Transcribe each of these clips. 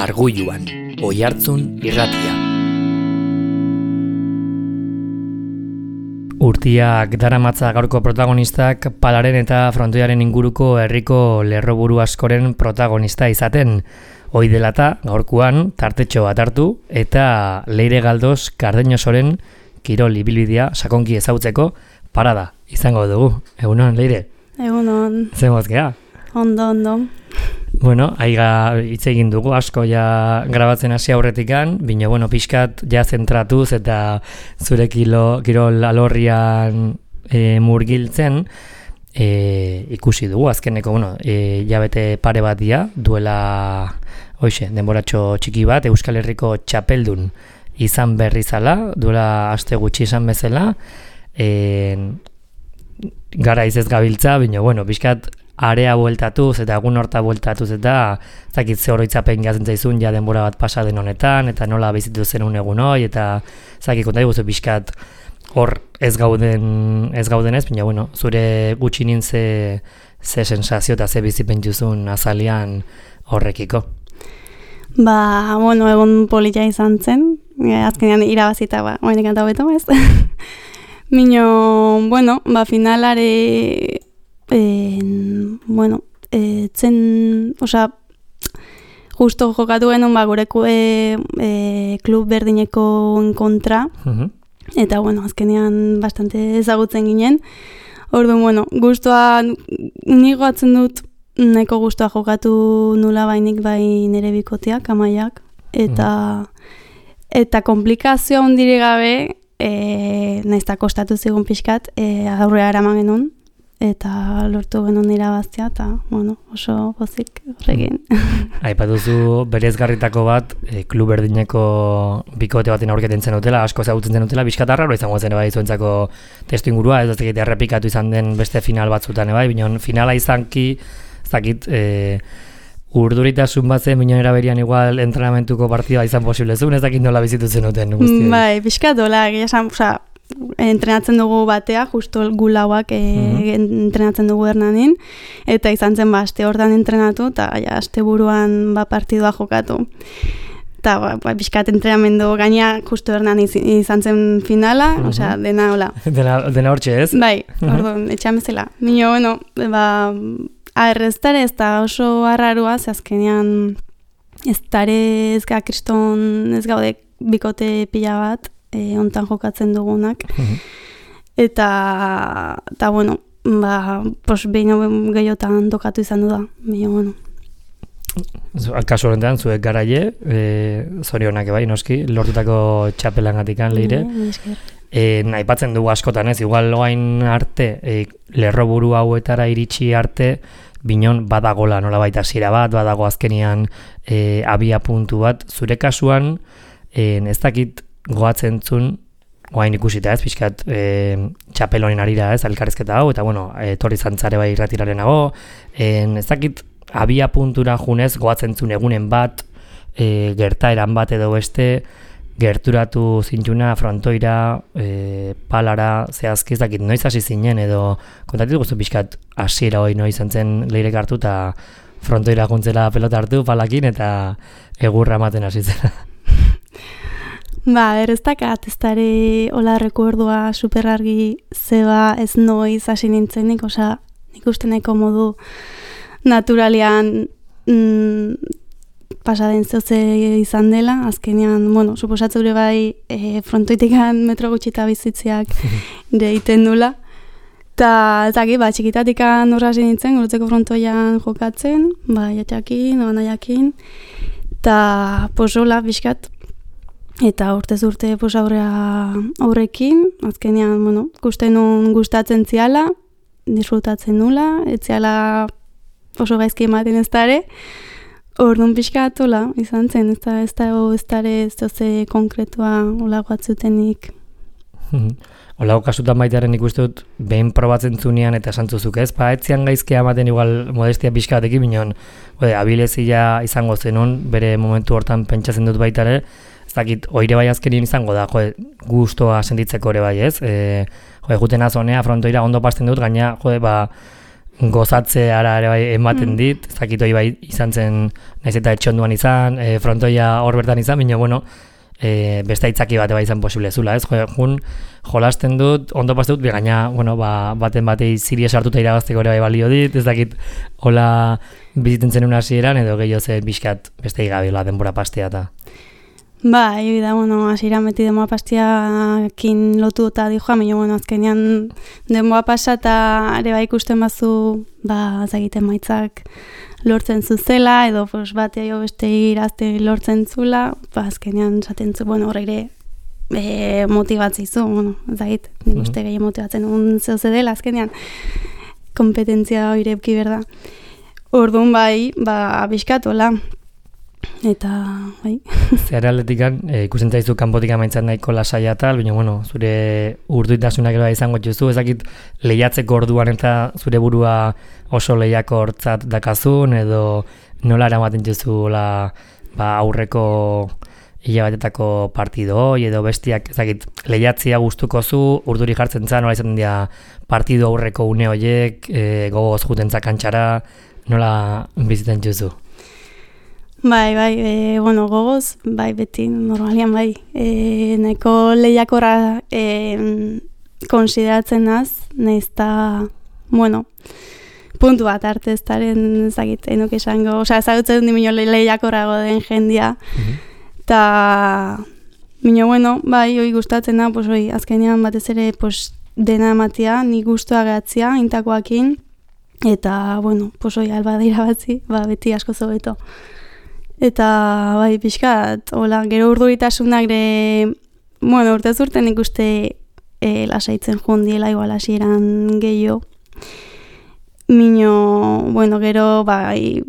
Argulluan, Oihartzun irratia. Urtiak daramatza gaurko protagonistak Palaren eta frontoiaren inguruko herriko lerroburu askoren protagonista izaten. Hoi dela eta gaurkoan tartetxo bat hartu eta Leire Galdos Cardeñosoren kirol ibilbidea sakonki ezagutzeko parada izango dugu. Egunon, Leire? Egunon. Zemoz gea? Ondo. Bueno, aiga hitz egin dugu, asko ja grabatzen hasi aurretikan, bino, bueno, pixkat ja zentratuz eta zure kirol alorrian murgiltzen ikusi dugu, azkeneko, bueno, jabete pare bat dia, duela, denboratxo txiki bat, Euskal Herriko txapeldun izan berri zala, duela aste gutxi izan bezala, gara izez gabiltza, bino, bueno, pixkat, area bueltatuz eta egun horta bueltatuz eta zakit ze oroitzapen gazen zaizun ja denbora bat pasa den honetan eta nola bizitu zenun egun hoi eta zakit konta diguzu pixkat hor ez gaudenez, baina bueno, zure gutxinin ze sensazio eta ze bizipen juzun azalian horrekiko. Bueno, egun polita izan zen, azkenean irabazita, oainek anta beto, ez? Mino, bueno, finalare justo jokatu genuen gure klub berdineko kontra, eta azkenean bastante ezagutzen ginen. Orduan, guztua nigo atzen dut, nahiko guztua jokatu nula bainik bai nire bikoteak, amaiak, eta komplikazioa ondire gabe, naizta kostatu zigun pixkat, aurrea eraman genuen, eta lortu genuen irabaztea, eta, oso pozik horrekin. Aipatuzu berezgarritako bat, klub berdineko bikote baten aurketen zen dutela, asko ezagutzen zen dutela, bizkatarra, izango zen bai zuentzako testu ingurua, ez dakit errepikatu izan den beste final batzutan, bai, bineon finala izanki, ez dakit, urduritasun bat zen, bineon eraberian igual entrenamentuko partida izan posible zuen, ez dakit nola bizitutzen duten guztien. Bai, bizkatola, entrenatzen dugu batea, justo gulauak entrenatzen dugu Hernanin, eta izan zen aste hortan entrenatu, eta aste buruan partidua jokatu. Eta bizkat entrenamendu gaina justo Hernan izan zen finala, dena hola. Dena hortxe ez? Bai, orduan, etxamezela. Mino, erreztare ez da oso arrarua, azkenean ez kriston ez gaude bikote pila bat, ontan jokatzen dugunak. Eta behin gehiotan tokatu izan du da. Kasu horretan, zuek garaile, zorionak bai, noski, lortutako txapelangatikan, Leire. Aipatzen dugu askotan ez, igual loain arte, lerroburu hauetara iritsi arte, binon badagola nola baita hasiera bat, badago azkenian abia puntu bat. Zure kasuan, ez dakit goatzen zun, oain ikusita ez, pixkat txapelonin arira ez, elkarrizketa hau, eta torri zantzare bai irratirarenago, ez dakit abia puntura junez goatzen zun egunen bat, gertaeran bat edo beste, gerturatu zintuna, frontoira, palara, zehazki ez dakit noiz hasi zinen edo kontatu guztu pixkat hasiera hoi noiz zen Leirek hartu eta frontoira juntzela pelota hartu palakin eta egurra ematen hasi zela. Erreztakat, ez dara hola rekordua superargi zeba ez noiz hasi nintzenik, nik uste nahiko modu naturalian pasaden zoze izan dela, azkenean, suposatzure bai frontoitikan metro gutxita bizitziak deiten dula. Eta txikitatikan horra hasi nintzen, gurutzeko frontoian jokatzen, jatxakin, banaiakin, eta hola, bizkat, eta urtez urte aurrekin, azkenean, gustatzen ziala, disfrutatzen nula, etziala oso gaizki ematen ez dara, orduan pixkat, izan zen, ez dara zoze konkretua hola guatzutenik. Olago kasutan baitaren ikusten dut, behin probatzen zunean eta esantzuzuk ez, etzian gaizkia ematen igual modestia pixkatekin, bineon, abilezia izango zenun, bere momentu hortan pentsatzen dut baitare, ez dakit, oire bai azkenien izango da, gustoa sentitzeko ere bai ez, juten azonea, frontoira ondo pasten dut, gaina, gozatzeara ere bai ematen dit, ez dakit hori bai izan zen, naiz eta etxonduan izan, frontoia hor bertan izan, baina bueno, beste aitzaki bate bai izan posible zula, ez? Jun, jolasten dut, ondo paste dut, gaina, bueno, baten batei ziria sartuta irabazteko ere bai balio dit, ez dakit hola biziten zenun hasieran edo gehiago ze bizkat beste igabila denbora pastea eta. Bai, da, bueno, hasieran beti denbora pastiakin lotu eta dijoa, baina, bueno, azkenean denbora pasa eta ere bai ikusten bazu, zagiten maitzak lortzen zuzela, edo pues, batea jo beste irazte lortzen zula, azkenean zaten zu, bueno, horre motibatzizu, bueno, zagit, nik uste gehi motibatzen zeuze dela, azkenean, kompetentzia hori epki berda. Orduan bai, bizkatola, eta, bai. Zehar atletikan, ikusten zaizu kanpotik amaitzen nahiko lasaia tal, baina, bueno, zure urduitasunak ere izango dituzu, ezakit lehiatzeko orduan eta zure burua oso lehiako hortzat dakazun, edo nola eramaten duzu aurreko hilabatetako partido, edo bestiak, ezakit, lehiatzia gustuko zu, urduri jartzen za, nola izan dira partido aurreko une horiek, gogoz jutentzak kantxara, nola biziten duzu? Bai, bueno, gogoz, bai, beti, normalian, bai, nahiko lehiakora konsideratzen naz, nahiz eta, bueno, puntu bat arte ez daren ezagit, enuk esango, ezagutzen di minio lehiakorago den jendia, eta, minio, bueno, bai, hoi gustatzen da, pues, hoi, azkenean batez ere, pues, dena ematia, nik guztua gehatzia, intakoakin, eta, bueno, pues, hoi, alba dira batzi, beti asko zobeto. Eta, bai, pixkat, hola, gero urduritasunak bueno, urtez urten ikuste lasaitzen jundiela, igual hasieran gehiago. Mino, bueno, gero, bai,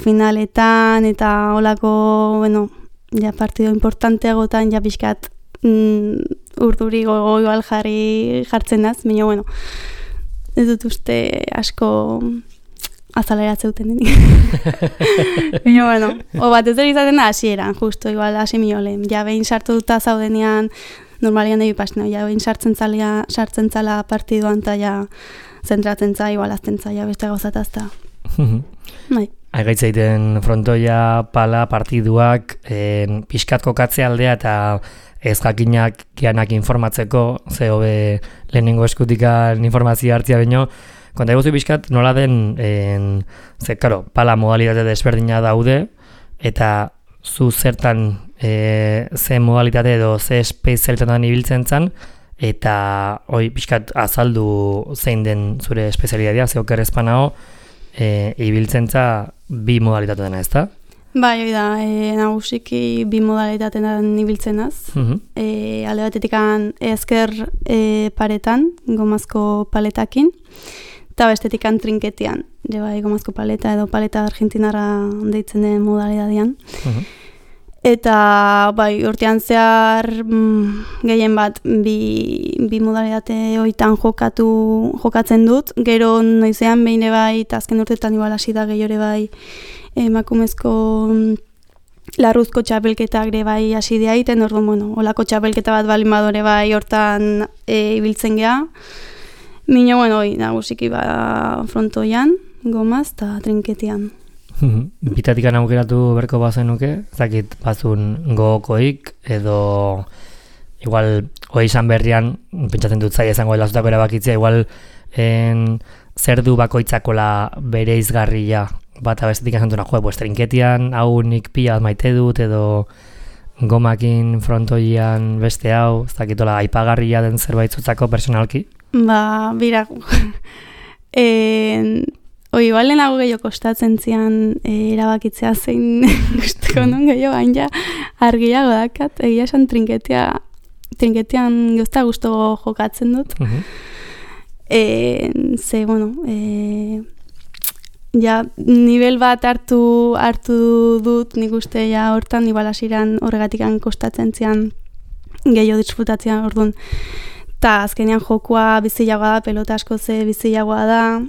finaletan, eta holako, bueno, ja partido importanteagotan, ja pixkat urduri igual jartzen naz, mino, bueno, ez dut uste asko azaleratzeuten denik. Baina, bueno, bat ez dut izaten da hasieran, justo, igual, hasi miolen. Ja, behin sartu duta zaudenean, normalian debi pasneo, ja, behin sartzen zala partiduan, eta ja, zentratzen za, igual, azten za, ja, beste gauzatazta. Bai. Aigaitzeiten frontoia, pala, partiduak, pixkat kokatze aldea, eta ez jakinak gianak informatzeko, ze hobe lehenengo eskutikan informazioa hartzia baino, konta eguzu pixkat nola den, karo, pala modalitate desberdina daude, eta zu zertan ze modalitate edo ze espezialitatean ibiltzen zan, eta hoi pixkat azaldu zein den zure espezialitatea, ze oker ezpanao, ibiltzen za bi modalitate dena, ezta? Bai, hori da, nagusiki bi modalitatean ibiltzenaz. Alde batetik ezker paretan, gomazko paletakin, eta bestetik trinketian, bai, gomazko paleta edo paleta argentinara deitzen den modalitatean. Eta, bai, urtean zehar gehien bat bi modalitate hoitan jokatzen dut, gero noizean behin bai, eta azken urteetan igual hasi da gehiore bai, emakumezko larruzko txapelketak ere bai hasi dira egiten, orduan, bueno, olako txapelketa bat balin badore bai hortan ibiltzen geha. Mino, bueno, nagusiki frontoian, gomaz eta trinketian. Bitatikan aukeratu berko bazenuke, zakit bazun gogokoik, edo igual hoi izan berrian, pentsatzen dut zai izango elazutako erabakitzea, igual zer du bakoitzakola bere izgarria, bat abestetik azantuna, pues trinketian hau nik pila maite dut, edo gomakin frontoian beste hau, ez dakitola aipagarria den zerbait zutzako personalki? Bira, igual lehenago gehiago kostatzen zian erabakitzea zein guzteko non gehiago, hain ja argiago dakat, egia esan trinketian guzta guztu jokatzen dut. Ze, bueno, ja, nivel bat hartu dut, nik uste ja hortan, igual hasiran horregatikan kostatzen zian gehiago disfrutatzean, orduan. Eta azkenean jokua bizilagoa da, pelota asko ze bizilagoa da,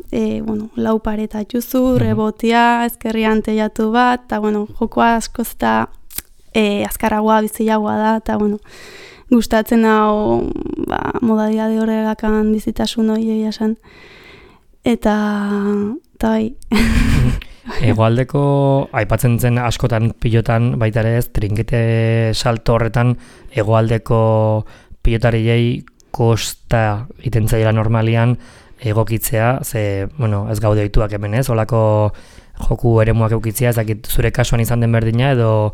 bueno, lau pareta juzu, rebotia, ezkerrian teiatu bat, eta bueno, jokua asko eta azkarragoa bizilagoa da, eta bueno, gustatzen hau modalidade horregakan bizitasun hori esan. eta bai. Hegoaldeko, aipatzen zen askotan pilotan baita ere ez, trinkete salto horretan hegoaldeko pilotariei kosta iten zaila normalian egokitzea, ze, bueno, ez gaude ohituak hemen ez, olako joku eremuak eukitzea, ez dakit zure kasuan izan den berdina, edo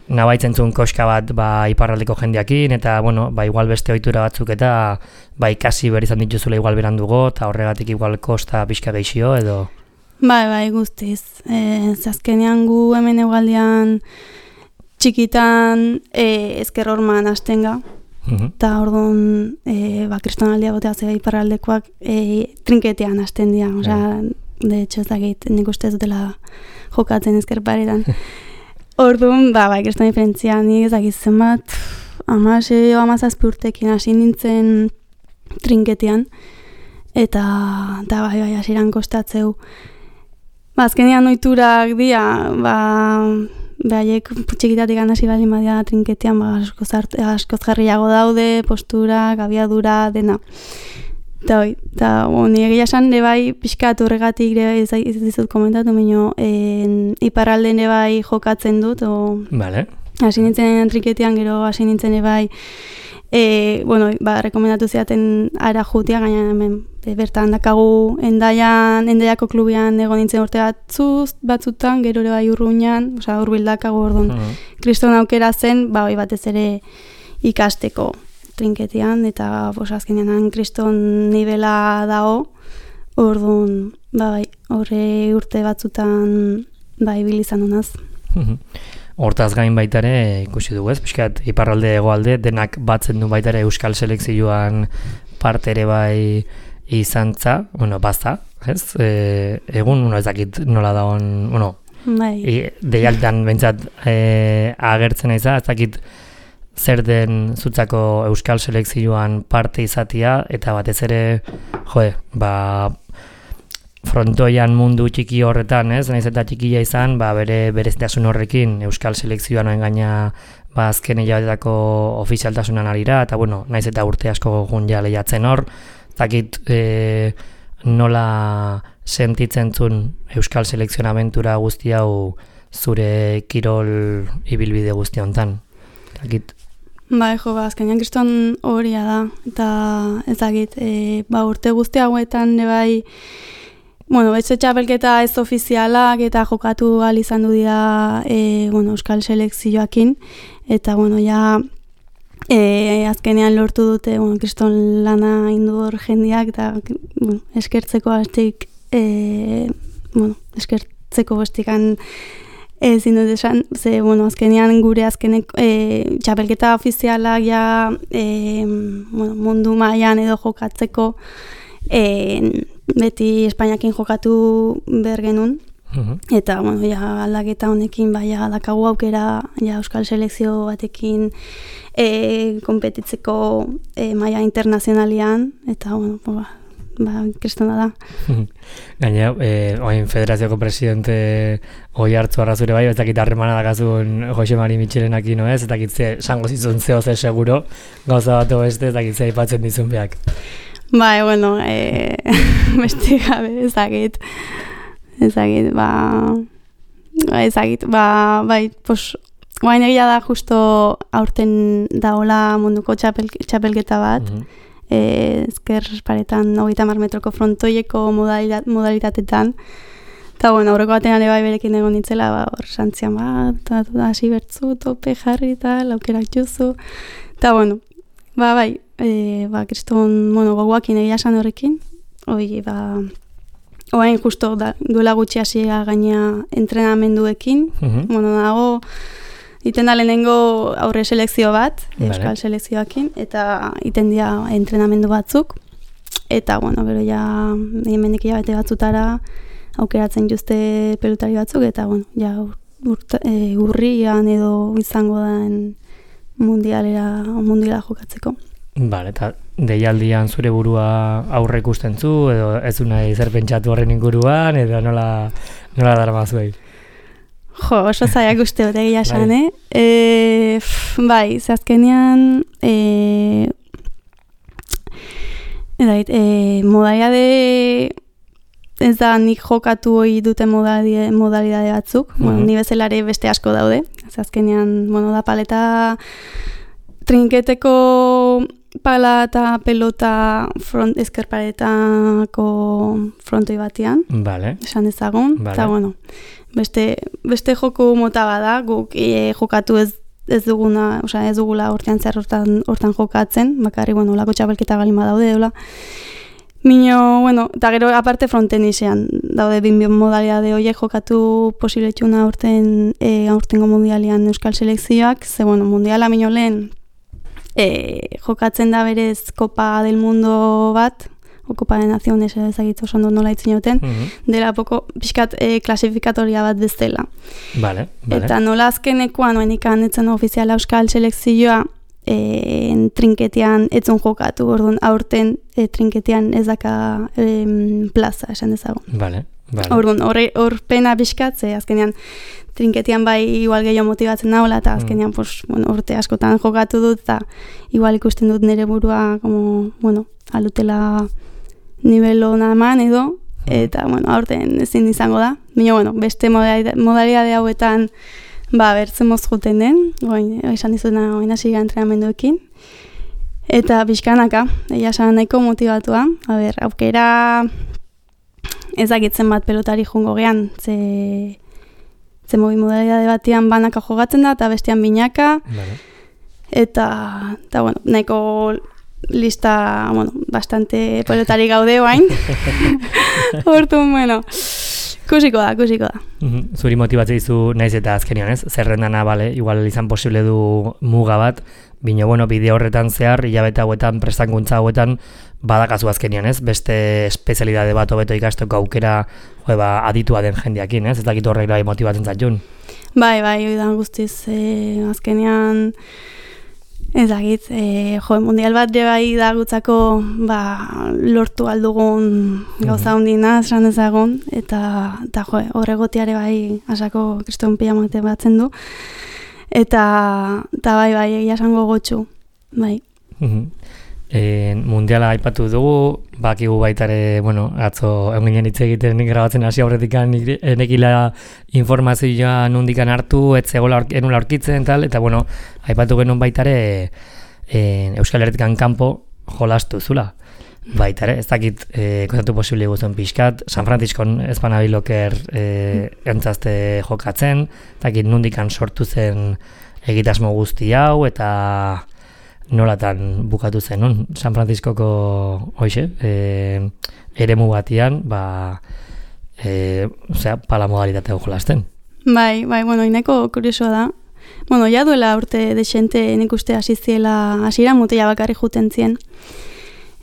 nabaitzen zuen koska bat iparraldeko jendeakin, eta, bueno, igual beste ohitura batzuk eta ikasi behar izan dituzula igual berandugo, eta horregatik igual kosta pixka geixio, edo... Bai, guztiz. Azkenean gu hemen hegoaldean txikitan ezker horman hastenga, eta orduan kristonaldia botea zega iparraldekoak trinketean hasten dira, osea, de hecho ez dakit, nik uste ez dutela jokatzen ezker paretan. Orduan, kriston diferentzia, nik ez dakit zenbat, 16-17 urtekin hasi nintzen trinketean, eta hasieran kostatzeu. Azkenean ohiturak dira, behaiek txikitatik hasi baldin badia trinketean, askoz jarriago daude, posturak, abiadura, dena. Eta nire egia esan, pixkat horregatik ez dizut komentatu, baina iparralden jokatzen dut. Vale. Hasi nintzen trinketean, gero hasi nintzen rekomendatu ziaten ara jutia, gaina hemen bertan dakagu Endaiako klubian egon nintzen urte batzutan, gero Urruñan, hurbil dakagu orduan. Kriston aukera zen, batez ere ikasteko trinketean, eta azkenean kriston nivela dago, orduan, horre urte batzutan ibilizan honaz. Hortaz gain baita ere ikusi dugu ez, pixkat iparralde hegoalde denak batzen du baita ere euskal selekzioan parte ere izantza, baza, ez? Egun, ez dakit nola dagoen, deialtan bentsat agertzen aiza, ez dakit zer den zutzako euskal selekzioan parte izatia, eta batez ere, frontoian mundu txiki horretan, ez? Naiz eta txikia izan, bere berezitasun horrekin euskal selekzioan gaina azken hilabetetako ofizialtasunan arira, eta naiz eta urte asko gun ja lehiatzen hor, dakit nola sentitzen zuen euskal selekzion abentura guzti hau zure kirol ibilbide guzti hontan. Dakit. Azkenean kriston horia da, eta ez dakit, urte guzti hauetan beste txapelketa ez ofizialak eta jokatu gal izan du dira euskal selekzioakin, eta azkenean lortu dute kriston lana indur jendiak, eta eskertzeko hastik eskertzeko bestikan ezin dut esan, ze azkenean gure azkenek txapelketa ofizialak mundu mailan edo jokatzeko beti Espainiakin jokatu behar genuen, eta aldaketa honekin dakagu aukera euskal selekzio batekin konpetitzeko maila internazionalian, eta kristona da. Gaina, oain federazioko presidente Oiartzu Arrazure ez dakit harremana dakazun Jose Mari Mitxelenakin, ez dakit sango zizun zeo ze seguro, gauza bat beste, ez dakit ze aipatzen dizun behak. Beste gabe, ezagit, guain egia da justo aurten daola munduko txapelketa bat, ezker paretan 30 metroko frontoieko modalitatetan, eta aurreko batean ere berekin egon nintzela, santzian hasi bertzu, tope jarri eta laukerak juzu, eta kriston, goguakin egia esan horrekin, oain justo duela gutxi hasia gaina entrenamenduekin, dago, iten da lehenengo aurre selekzio bat, euskal selekzioakin, eta iten dira entrenamendu batzuk, eta, gero hemendik hilabete batzutara aukeratzen juzte pelotari batzuk, eta, urrian edo izango den mundiala jokatzeko. Eta deialdian zure burua aurre ikusten zu, edo ez du nahi zer pentsatu horren inguruan, edo nola darama zuei? Oso zaiak uste dut egia esan, ze azkenean modalidade ez da nik jokatu hori duten modalidade batzuk, ni bezalare beste asko daude, ez azkenean, da paleta trinketeko pala eta pelota ezkerparetako frontoi batean, esan ezagun, eta beste joku mota bada, guk jokatu ez duguna, ez dugula urtean zer hortan jokatzen, bakarri, lako txapelketa balima daude, dola. Mino, eta gero aparte frontenisean daude bin modalidade horiek jokatu posibletxuna aurtengo mundialian euskal selekzioak, ze mundiala mino lehen jokatzen da berez Copa del Mundo bat, o Copa de Naciones ezagitzu oso nola itzen joten, dela poko pixkat klasifikatoria bat bezala. Vale. Eta nola azkenekoan, oenikan etzen ofiziala euskal selekzioa, trinketean etzun jokatu, orduan aurten trinketean ez daka plaza, esan dezago. Vale. Orduan, hor pena pixkat, ze azkenean trinketean bai igual gehiago motibatzen nagoela, eta azkenean urte askotan jokatu dut, eta igual ikusten dut nire burua, alutela nivelo eman edo, eta aurten ezin izango da. Baina, beste modalidade hauetan bertzen mozjuten den, esan dizuna hasi entrenamenduekin, eta bizkanaka, egia esan nahiko motibatua, aukera ezagitzen bat pelotari jungo gean, ze modalidade batean banaka jogatzen da, eta bestean binaka, eta nahiko lista, bastante pelotari gaude oain, hortun, kusiko da. Zuri motibatzea izu naiz eta azkenian, ez? Zerrendana, igual izan posible du muga bat, bino, bide horretan zehar, hilabete hauetan, prestakuntza hauetan, badakazu azkenian, ez? Beste espezialidade bat hobeto ikasteko aukera, aditua den jendeakin, ez? Ez dakit horrek bai motibatzen zaitun. Bai, oidan guztiz, azkenian, ez dakit, mundial bat bai da gutzako lortu aldugun gauza hundina, esan ezagun, eta horregotiare bai asako kriston pijamate batzen du, eta bai, egia esango gotxu, bai. Mundiala aipatu dugu, bakigu baitare, atzo eginen hitz egiten grabatzen hasi aurretik enekila informazioa nundikan hartu, enula aurkitzen, eta aipatu genuen baitare Euskal Herritikan kanpo jolastu zula. Baitare, ez dakit kontatu posible guztuen pixkat, San Franciscon ezpanabiloker entzazte jokatzen, ez dakit nundikan sortu zen egitasmo guzti hau, eta nolatan bukatu zen, San Franciscoko eremu batian, pala modalitatea jolasten. Bai, ineko kuriosoa da. Ja duela urte desente nik uste hasiera mutila bakarri juten zien.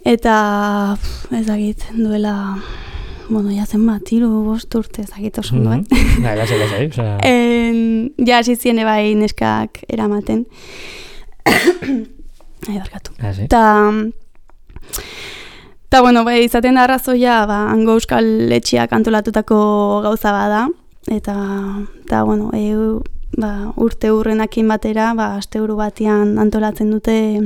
Eta, ezagit, duela, ja zen bat, 3-5 urte, ezagit oso ondo, Ja hasiziene bai neskak eramaten. Barkatu. Eta, izaten da arrazoia, hango euskal etxiak antolatutako gauza bada, eta urte hurrenakin batera, asteburu batean antolatzen dute,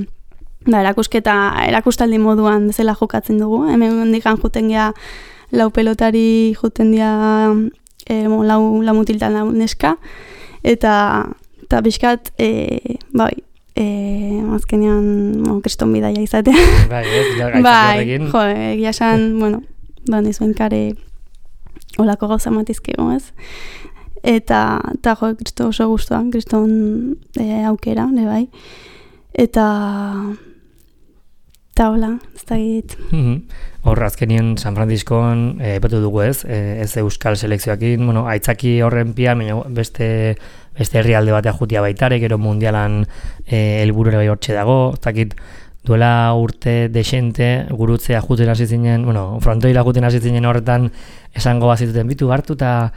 erakustaldi moduan zela jokatzen dugu, hemen dikan juten gea lau pelotari juten dira lau mutiltan lau neska, eta bizkat, azkenean kriston bidaia izatea. Egia esan, nizuen kare olako gauza matizkego, ez? Eta kristo oso guztuan, kriston aukera, bai. Eta hola, ez da git. Horra, azkenien San Franciscoan epatu dugu ez euskal selekzioakin, aitzaki horren pia, beste herrialde batea jutia baitare, gero mundialan helburura bai hortxe dago, ez dakit duela urte desente gurutzea juten hasi zinen, frontoira juten hasi zinen horretan esango bazituten bitu hartu eta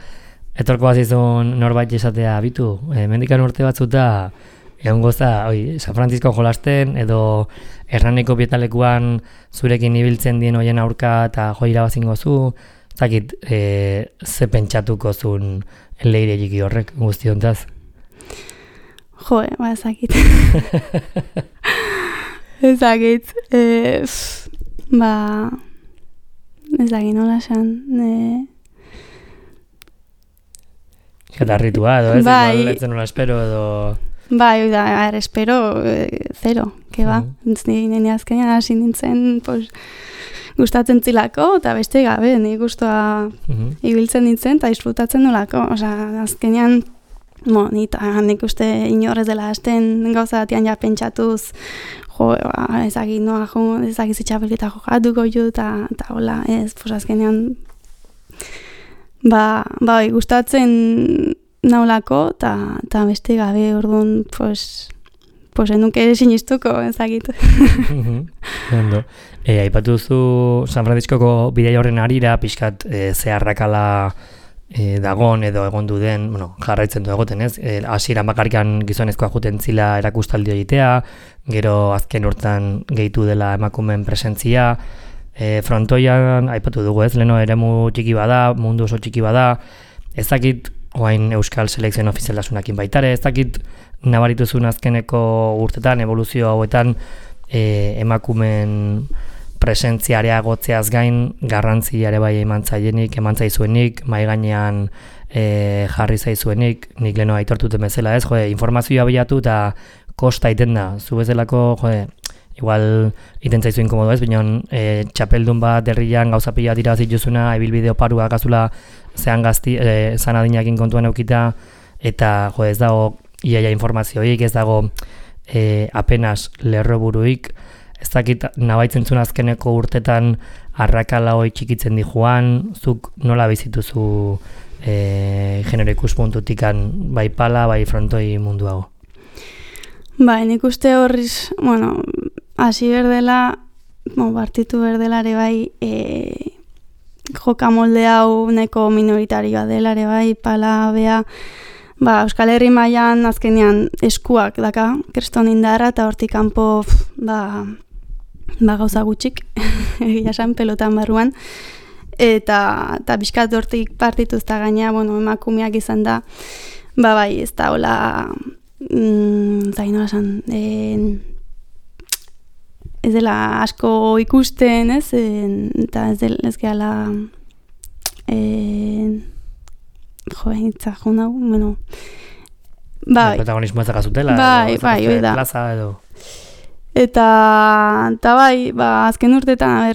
etorko bazizun norbait esatea bitu, mendikan urte batzuta egon goza, San Francisco jolasten edo erraneko bietalekuan zurekin ibiltzen dien hoien aurka eta jo irabazingo zu, ez dakit ze pentsatuko zuen leire jiki horrek guztiontaz? Ezakit. ez dakit nola esan. Eta ritua edo ez, bai, igual etzen nola espero edo... Bai, espero, zero, que ba. Nire azkenean hasi nintzen, pues, gustatzen zilako, eta beste gabe, nik guztua ibiltzen nintzen, eta disfrutatzen nolako. Osa, azkenean, nik uste inorrez dela hasten gauza batian ja pentsatuz, ezagit noa jo, ezagit zitxapelketa jokatuko jo, eta hola, ez, pues azkenean, gustatzen naulako, eta beste gabe, orduan, pues enuke sinistuko, ezagit. Ondo. Aipatu duzu San Franciscoko bidai horren arira, pixkat zeharrakala dagon edo egondu den, jarraitzen du egoten ez, hasieran bakarrikan gizonezkoa juten zila erakustaldi egitea, gero azken urtean gehitu dela emakumeen presentzia, frontoian aipatu dugu ez, leno eremu txiki bada, mundu oso txiki bada, ez dakit oain euskal selekzioen ofizialtasunakin baitare, ez dakit nabarituzun azkeneko urtetan, evoluzio hauetan emakumeen presentziarea gotzeaz gain, garrantziare bai eman zaizuenik, mai gainean jarri zaizuenik, nik leno aitortuten bezala ez, informazioa bilatu eta kosta iten da, zu bezalako, igual iten zaizu inkomodo ez, bineon txapeldun bat derrian gauza pila dira zituzuna, ebilbide oparua gazula zean gazti, zan adinakin kontuan eukita, eta ez dago iaia informazioik, ez dago apenas lerroburuik, ez dakit nabaitzen zuen azkeneko urtetan arrakala hoi txikitzen di joan, zuk nola bizituzu genero ikuspuntutikan bai pala, bai frontoi mundu hau? Bai, nik uste horriz, hasi berdela, partitu berdelare bai, joka molde hau neko minoritarioa delare bai, pala bea, Euskal Herri mailan azkenean eskuak daka, kriston indarra, eta hortik kanpo gauza gutxik, egia esan pelotan barruan, eta bizkat hortik partituz eta gaina, emakumeak izan da, bai, ez da hola, zainoa esan, ez dela asko ikusten, ez, eta ez gehala, itzakun hau, bai. Protagonismo ez dakazutela, plaza edo. Eta bai, azken urtetan,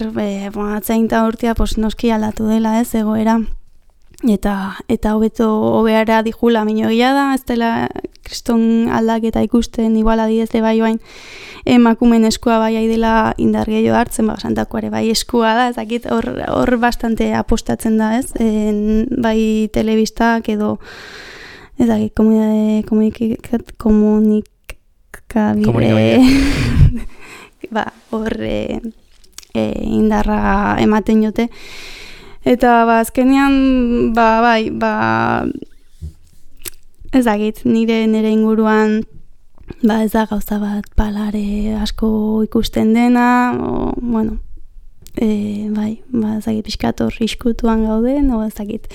atzeinta urtea, noski aldatu dela, ez, egoera. Eta hobeara dijula minogia da, ez dela kriston aldaketa ikusten, igual adidez bai bain, emakumen eskua bai dela indar gehiago hartzen, santakoare bai eskua da, ez dakit hor bastante apostatzen da, ez, bai telebistak edo, ez dakit, komunikabide, hor indarra ematen jote. Eta azkenean, bai, ez dakit, nire inguruan, ez da gauza bat palare asko ikusten dena, bai, ez dakit, pixkator iskutuan gauden, ez dakit,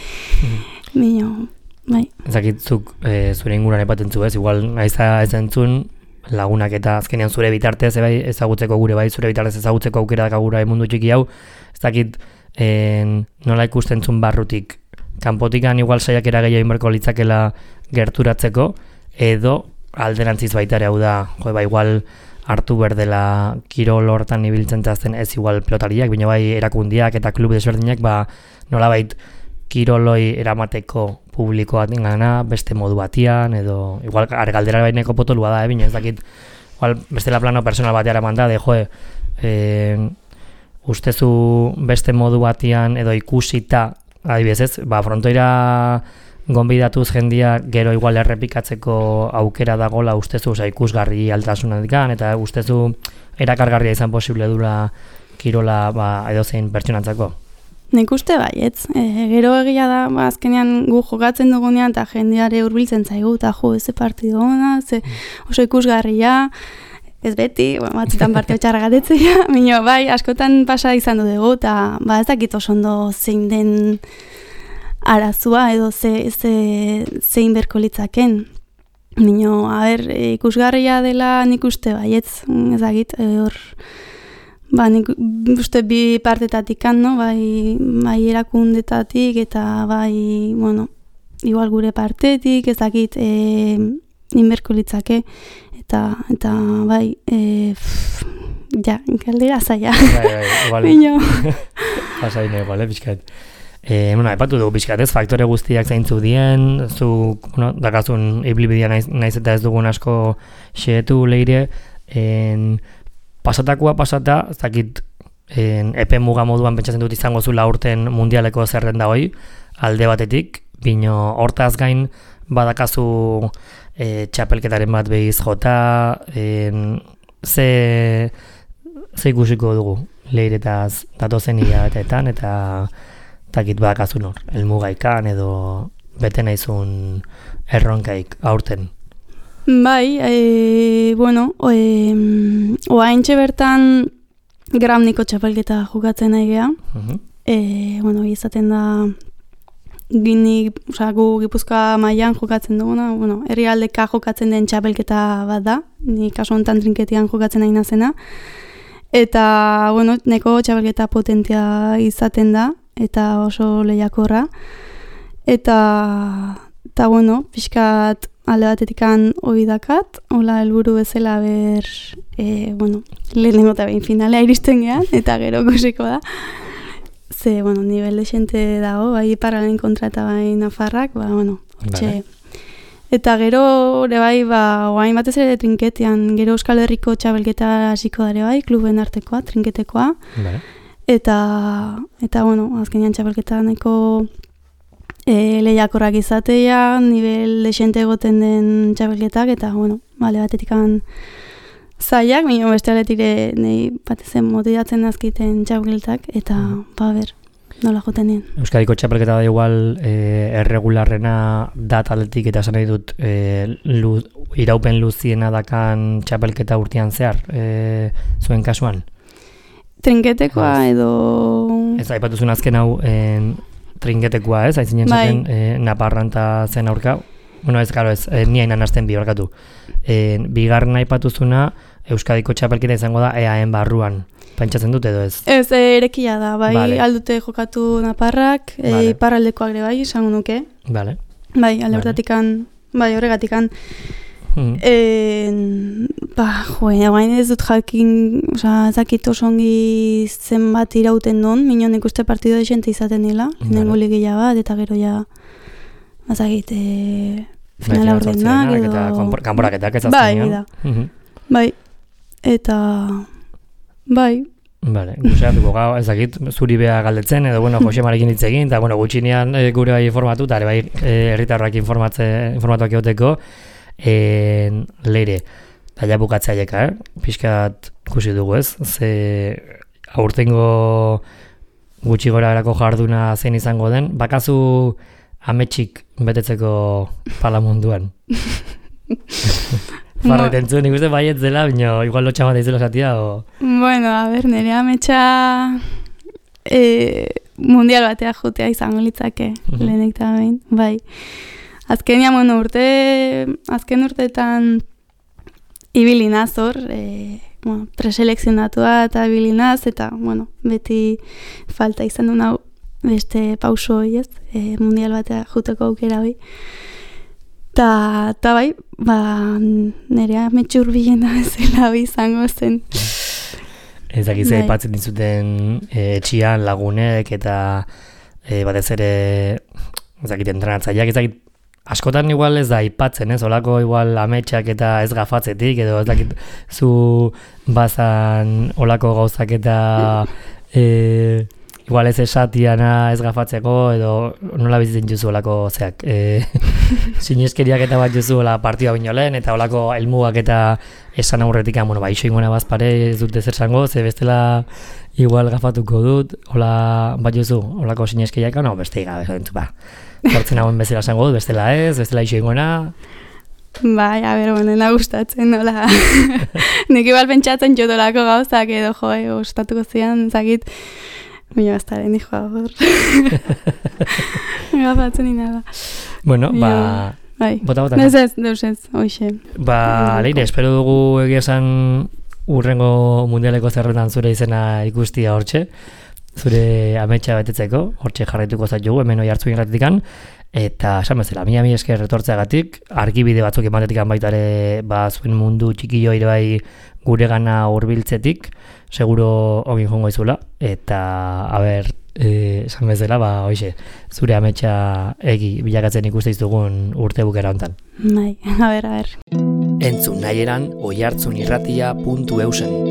bai. Ez dakit, zuk zure inguruan epaten zu ez, igual naiza ez entzun, lagunak eta azkenean zure bitartez ezagutzeko gure bai, zure bitartez ezagutzeko aukera dakagura mundu txiki hau, ez dakit, nola ikusten zuen barrutik, kanpotikan igual saiakera gehiago inberko litzakela gerturatzeko, edo alderantziz baitare hau da, igual hartu berdela kirol hortan ibiltzen zazten ez igual pelotariak, baina bai erakundiak eta klub desberdinak, nola bait kiroloi eramateko publikoa dingana, beste modu batian, edo igual galdera baineko potolua da, baina ez dakit, igual bestela plano personal bateara manda, ustezu beste modu batian edo ikusita, adibidez ez, frontoira gonbidatuz jendia gero igual errepikatzeko aukera dagola ustezu ikusgarri altasunatikan, eta ustezu erakargarria izan posible dura kirola edozein pertsonantzako. Nik uste baietz, gero egia da, azkenean gu jokatzen dugunean eta jendeare hurbiltzen zaigu, eta ze partido ona, oso ikusgarria, ez beti, batzutan partio txarra gatetzea, minio, bai, askotan pasa izan dugu, eta ez dakit oso ondo zein den arazua, edo zein berko litzaken. Minio, ikusgarria dela nik uste baietz, ez dakit, hor, nik uste bi partetatik no? Bai erakundetatik eta bai, bueno, igual gure partetik, ez dakit inberko litzake, eta bai, galdera zaila. Bai, igual. Pasaine, igual, pixkat. Aipatu dugu pixkat, ez, faktore guztiak zeintzu dien, zu, dakazun ibilbidea naiz eta ez dugun asko xeetu leire, pasatakoa pasata, ez dakit, epe muga moduan pentsatzen dut izango zula urten mundialeko zerrenda hoi, alde batetik, bino hortaz gain badakazu txapelketaren bat behiz jota, ze ikusiko dugu leiretaz datozen hilabeteetan eta takit badakazun hor, elmugaikan edo bete naizun erronkaik aurten. Bai, bueno, oaintxe bertan Gramniko txapelketa jokatzen nahi geha. Bueno, izaten da gu Gipuzkoa mailan jokatzen duguna, bueno, herrialdeka jokatzen den txapelketa bat da, ni kasu honetan trinketian jokatzen nahi nazena. Eta, bueno, neko txapelketa potentia izaten da, eta oso lehiakorra. Eta bueno, pixkat alde batetikan hori dakat, hola helburu bezala bueno, lehenengo eta behin finalea iristen gehan, eta gero kusiko da. Ze, bueno, nivel de xente dago, bai Iparralden kontra eta bai Nafarrak, bueno, hortxe. Eta gero, bai, oain batez ere trinketian, gero Euskal Herriko txabelketa hasiko dare bai, kluben artekoa, trinketekoa. Eta, bueno, azkenean txabelketa nahiko lehiakorrak izatea, nivel de xente egoten den txabelketak, eta, bueno, bale batetikan zaiak, baina beste aletire nahi batezen motibatzen azkiten txapelketak, eta ber, nola joten dien. Euskadiko txapelketa da igual erregularrena da taletik eta esan nahi dut iraupen luziena dakan txapelketa urtean zehar, zuen kasuan? Trinketekoa edo... Ez aipatuzun azken hau trinketekoa, ez? Aizinen zaten Naparranta zen aurka. Bueno, ez, karo, ez, ni hainan hasten bi horkatu. Bigarren aipatuzuna Euskadiko txapelketa izango da EAen barruan. Pentsatzen dut edo ez? Ez, erekia da, bai, aldute jokatu Naparrak, Iparraldekoak ere bai, izango nuke. Bai, alde hortatikan, bai, horregatikan. Guain ez dut jakin, ezakit osongi zenbat irauten duen, minon ikuste partido de xente izaten nila, nengo ligila bat, eta gero ja, ezakit, finala ordenak edo... Kanporaketak ez aztenean. Bai, eta... Bai. Bale, guzeatuko gau, ezakit, zuri beha galdetzen, edo, bueno, Jose Marekin hitz egin, eta, bueno, gutxinean gure bai informatu, eta bai, herritarrak informatuak egoteko, leire, daia bukatzaieka, pixkat ikusi dugu ez, ze aurtengo gutxi gora erako jarduna zein izango den, bakazu ametsik betetzeko palamunduan. Farreten zuen, ikuste baiet zela, bino, igual lotxa bat izela zatia, o... Bueno, a ber, nire ametsa mundial batea jotea izango litzake, lehenek eta behin, bai. Azkenian, bueno, azken urteetan ibilinaz hor, preselekzionatua eta ibilinaz, eta, bueno, beti falta izan duen hau beste pauso hori ez, mundial batea juteko aukera hori. Ta bai, nerea metxur bilena bezala izango zen. Ez dakiz aipatzen dizuten etxian lagunek eta batez ere ez dakit entrenatzaileak, ez dakit askotan igual ez da aipatzen, ez, olako igual ametsak eta ez gafatzetik, edo ez dakit zu bazan olako gauzak eta igual ez esatiana ez gafatzeko, edo nola bizitzen juzu olako zeak. Sineskeriak eta bat juzu ola partioa bino lehen, eta olako helmugak eta esan aurretik, bueno, iso ingona bazpare ez dute zer zango, ze bestela igual gafatuko dut, ola bat juzu, olako sineskeriak, no, beste igabe, zentzu, Hortzen hauen bezala zango dut, bestela ez, bestela iso ingona. Bai, a ber, bueno, gustatzen, nola. Nik igual pentsatzen jodolako gauzak edo, gustatuko zian, zakit, baina baztaren hijoa hor. Gafatzen inada. Bueno, bota. Ez, deus ez, hoxe. Leire, espero dugu egia esan urrengo mundialeko zerrendan zure izena ikustia hortxe, zure ametsa betetzeko, hortxe jarraituko zaitugu, hemen oi hartzu ingratikan, eta esan bezala, mi esker retortzeagatik, argibide batzuk ematetikan baitare zuen mundu txikillo ere bai gure gana hurbiltzetik, seguro ogin jongo izula, eta, esan bezala, hoxe, zure ametsa egi bilakatzen ikuste izugun urte bukera hontan. Bai, a ber. Entzun nahi eran oihartzunirratia.eusen.